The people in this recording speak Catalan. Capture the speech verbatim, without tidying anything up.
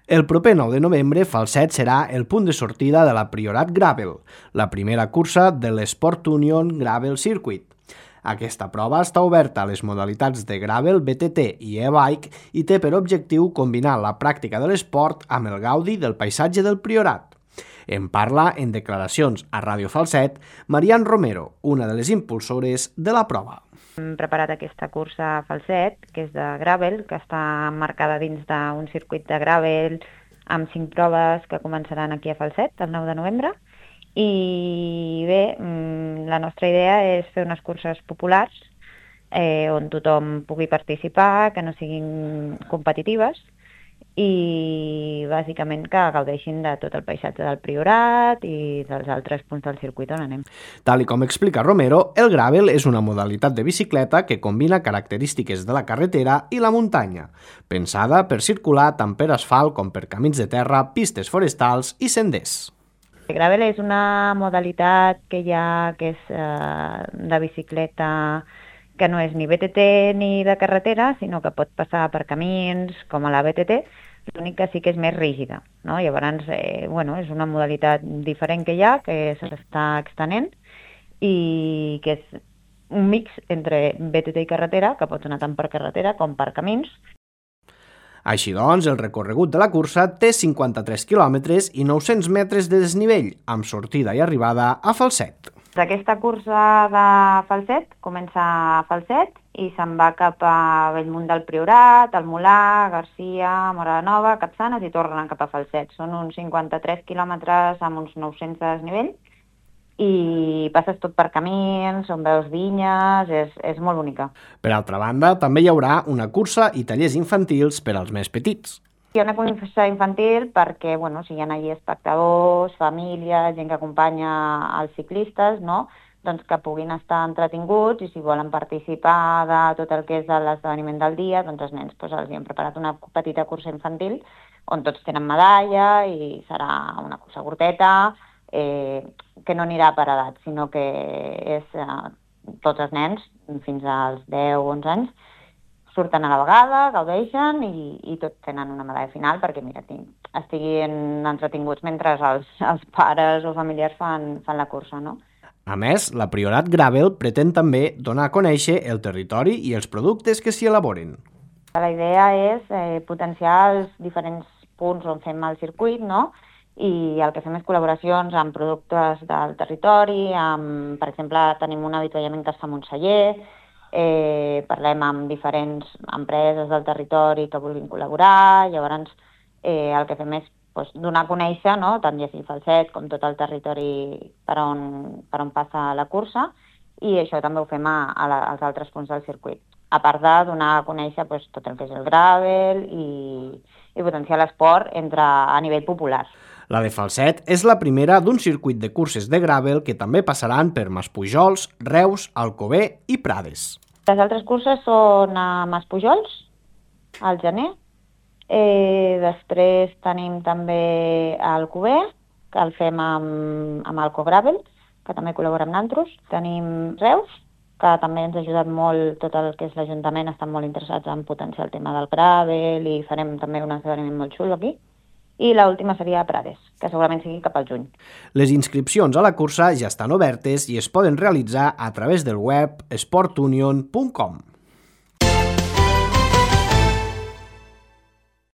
El proper nou de novembre, Falset serà el punt de sortida de la Priorat Gravel, la primera cursa de l'Sport Union Gravel Circuit. Aquesta prova està oberta a les modalitats de gravel, B T T i e-bike i té per objectiu combinar la pràctica de l'esport amb el gaudi del paisatge del Priorat. En parla, en declaracions a Ràdio Falset, Marian Romero, una de les impulsores de la prova. Hem preparat aquesta cursa Falset, que és de gravel, que està marcada dins d'un circuit de gravel amb cinc proves que començaran aquí a Falset el nou de novembre. I bé, la nostra idea és fer unes curses populars eh, on tothom pugui participar, que no siguin competitives i bàsicament que gaudeixin de tot el paisatge del Priorat i dels altres punts del circuit on anem. Tal i com explica Romero, el gravel és una modalitat de bicicleta que combina característiques de la carretera i la muntanya, pensada per circular tant per asfalt com per camins de terra, pistes forestals i senders. El gravel és una modalitat que hi ha que és eh, de bicicleta que no és ni B T T ni de carretera, sinó que pot passar per camins com a la B T T, l'únic que sí que és més rígida, no? Llavors, eh, bueno, és una modalitat diferent que hi ha, que s'està extenent i que és un mix entre B T T i carretera, que pots anar tant per carretera com per camins. Així doncs, el recorregut de la cursa té cinquanta-tres quilòmetres i nou-cents metres de desnivell, amb sortida i arribada a Falset. Aquesta cursa de Falset comença a Falset i se'n va cap a Bellmunt del Priorat, el Molar, Garcia, Mora de Nova, Capçanes i tornen cap a Falset. Són uns cinquanta-tres quilòmetres amb uns nou-cents de desnivell i passes tot per camins, on veus vinyes, és, és molt bonica. Per altra banda, també hi haurà una cursa i tallers infantils per als més petits. Hi ha una cursa infantil perquè, bueno, si hi ha allà espectadors, famílies, gent que acompanya els ciclistes, no? Doncs que puguin estar entretinguts i si volen participar de tot el que és l'esdeveniment del dia, doncs els nens doncs, els hi hem preparat una petita cursa infantil on tots tenen medalla i serà una cursa curteta, eh, que no anirà per edat, sinó que és eh, tots els nens, fins als deu o onze anys, surten a la vegada, gaudeixen i, i tots tenen una medalla final perquè mira, estiguin entretinguts mentre els, els pares o familiars fan, fan la cursa, no? A més, la Priorat Gravel pretén també donar a conèixer el territori i els productes que s'hi elaboren. La idea és eh, potenciar els diferents punts on fem el circuit, no? I el que fem és col·laboracions amb productes del territori, amb, per exemple, tenim un avituallament que està a Montseller, eh, parlem amb diferents empreses del territori que vulguin col·laborar, llavors eh, el que fem és doncs, donar a conèixer, no? Tant ja sigui Falset com tot el territori per on, per on passa la cursa, i això també ho fem a, a la, als altres punts del circuit, a part de donar a conèixer doncs, tot el que és el gravel i, i potenciar l'esport entre, a nivell popular. La de Falset és la primera d'un circuit de curses de gravel que també passaran per Maspujols, Reus, Alcover i Prades. Les altres curses són a Maspujols, al gener. Eh, després tenim també Alcover, que el fem amb, amb Alco Gravel, que també col·labora amb nosaltres. Tenim Reus, que també ens ha ajudat molt tot el que és l'Ajuntament, estan molt interessats en potenciar el tema del gravel i farem també un esdeveniment molt xulo aquí. I l'última seria a Prades, que segurament sigui cap al juny. Les inscripcions a la cursa ja estan obertes i es poden realitzar a través del web sport union punt com.